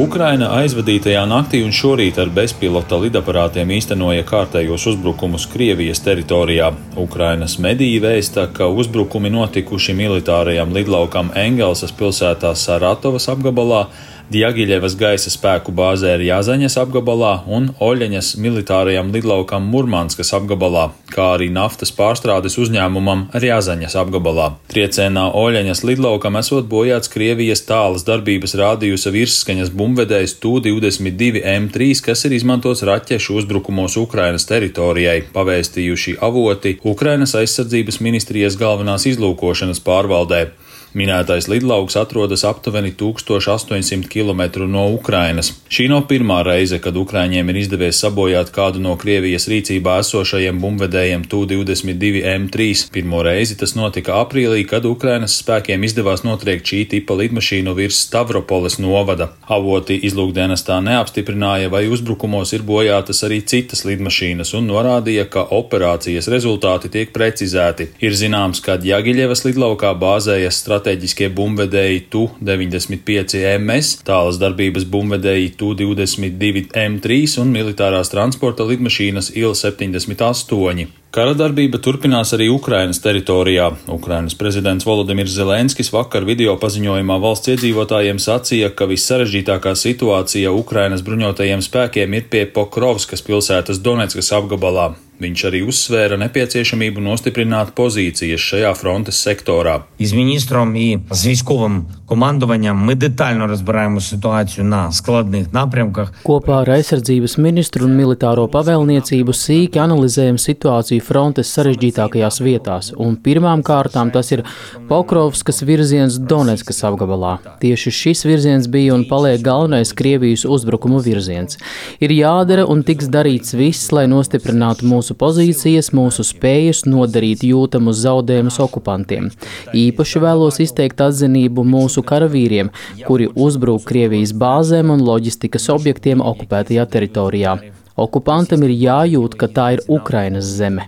Ukraina aizvadītajā naktī un šorīt ar bezpilota lidaparātiem īstenoja kārtējos uzbrukumus Krievijas teritorijā. Ukrainas mediji vēsta, ka uzbrukumi notikuši militārajam lidlaukam Engelsas pilsētā Saratovas apgabalā, Djagiļevas gaisa spēku bāzē Rjazaņas apgabalā un Oļeņas militārajam lidlaukam Murmanskas apgabalā, kā arī naftas pārstrādes uzņēmumam Rjazaņas apgabalā. Triecienā Oļeņas lidlaukam esot bojāts Krievijas tālas darbības rādījusa virsskaņas bumbvedējs Tu-22M3, kas ir izmantots raķešu uzbrukumos Ukrainas teritorijai, pavēstījuši avoti Ukrainas aizsardzības ministrijas galvenās izlūkošanas pārvaldē. Minētais lidlauks atrodas aptuveni 1800 km no Ukrainas. Šī nav pirmā reize, kad Ukraiņiem ir izdevies sabojāt kādu no Krievijas rīcībā esošajiem bumbvedējiem Tu-22M3. Pirmo reizi tas notika aprīlī, kad Ukrainas spēkiem izdevās notriekt šī tipa lidmašīnu virs Stavropoles novada. Avoti izlūkdienestā neapstiprināja, vai uzbrukumos ir bojātas arī citas lidmašīnas un norādīja, ka operācijas rezultāti tiek precizēti. Ir zināms, ka Djagiļevas lidlaukā bāzējas strateģiskie bumbvedēji Tu-95MS, tālas darbības bumbvedēji Tu-22M3 un militārās transporta lidmašīnas Il-78. Kara darbība turpinās arī Ukrainas teritorijā. Ukrainas prezidents Volodimirs Zelenskis vakar video paziņojumā valsts iedzīvotājiem sacīja, ka vissarežģītākā situācija Ukrainas bruņotajiem spēkiem ir pie Pokrovskas pilsētas Doneckas apgabalā. Viņš arī uzsvēra nepieciešamību nostiprināt pozīcijas šajā frontes sektorā. Із міністром і з військовим командуванням ми детально розбираємо ситуацію на складних напрямках. Kopā ar aizsardzības ministru un militāro pavēlniecību sīki analizējam situāciju frontes sarežģītākajās vietās, un pirmām kārtām tas ir Pokrovskas virziens Doneckas apgabalā. Tieši šis virziens bija un paliek galvenais Krievijas uzbrukumu virziens. Ir jādara un tiks darīts viss, lai nostiprinātu mūsu pozīcijas, mūsu spējas nodarīt jūtamus zaudējumus okupantiem. Īpaši vēlos izteikt atzinību mūsu karavīriem, kuri uzbrūk Krievijas bāzēm un loģistikas objektiem okupētajā teritorijā. Okupantam ir jājūt, ka tā ir Ukrainas zeme.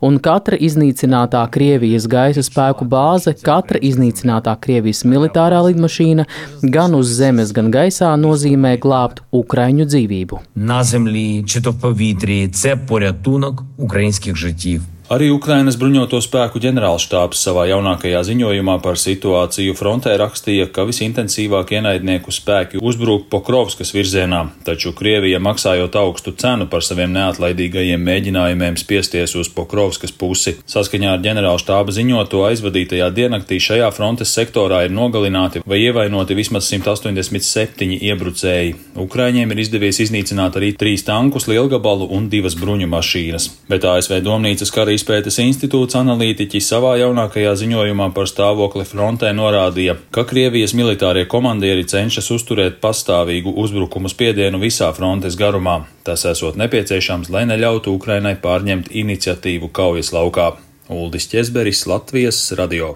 Un katra iznīcinātā Krievijas gaisa spēku bāze, katra iznīcinātā Krievijas militārā lidmašīna gan uz zemes, gan gaisā nozīmē glābt Ukraiņu dzīvību. На землі чи то в повітрі – це порятунок українських життів. Arī Ukrainas bruņoto spēku ģenerālštābs savā jaunākajā ziņojumā par situāciju frontē rakstīja, ka visintensīvāk ienaidnieku spēki uzbrūk Pokrovskas virzienā, taču Krievija maksājot augstu cenu par saviem neatlaidīgajiem mēģinājumiem spiesties uz Pokrovskas pusi. Saskaņā ar ģenerālštāba ziņoto aizvadītajā diennaktī šajā frontes sektorā ir nogalināti vai ievainoti vismaz 187 iebrucēji. Ukraiņiem ir izdevies iznīcināt arī 3 tankus, lielgabalu un 2 bruņu mašīnas. Bet ASV Domnīcas kara izpētes institūts analītiķi savā jaunākajā ziņojumā par stāvokli frontē norādīja, ka Krievijas militārie komandieri cenšas uzturēt pastāvīgu uzbrukumu spiedienu visā frontes garumā. Tas esot nepieciešams, lai neļautu Ukrainai pārņemt iniciatīvu kaujas laukā. Uldis Ķezberis, Latvijas radio.